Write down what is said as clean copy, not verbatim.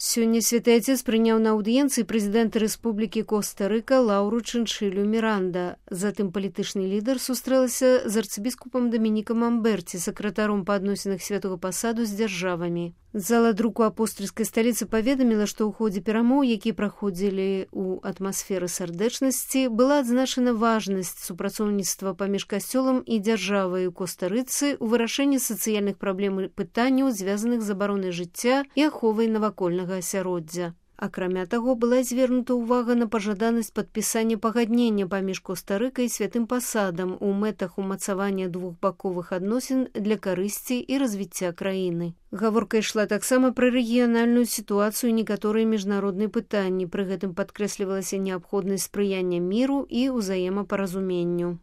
Сёння Святы Отец прыняў на аўдыенцыі прэзідэнта Рэспублікі Коста-Рыка Лауру Чыншылю Міранда. Затым палітычны лідар сустрэлася з арцыбіскупам Дамінікам Амберці, сакратаром па адносінах святого пасаду з дзяржавамі. Зала друку апостальскай сталіцы паведаміла, што ў ходзе перамоў, якія праходзілі ў атмасферы сардэчнасці, была адзначана важнасць супрацоўніцтва паміж касцёлам і дзяржавай у Коста-Рыцы ў вырашэнні сацыяльных праблем і пытанняў, звязаных з абаронай жыцця і аховай навакольнага асяроддзя. Акрамя таго, была звернута ўвага на пажаданасць падпісання пагаднення паміж Коста-Рыкай і святым пасадам у мэтах умацавання двухбаковых адносін для карысці і развіцця краіны. Гаворка ішла таксама пра рэгіянальную сітуацыю і некаторыя міжнародныя пытанні. Пры гэтым падкрэслівалася неабходнасць спрыяння міру і ўзаемапаразуменню.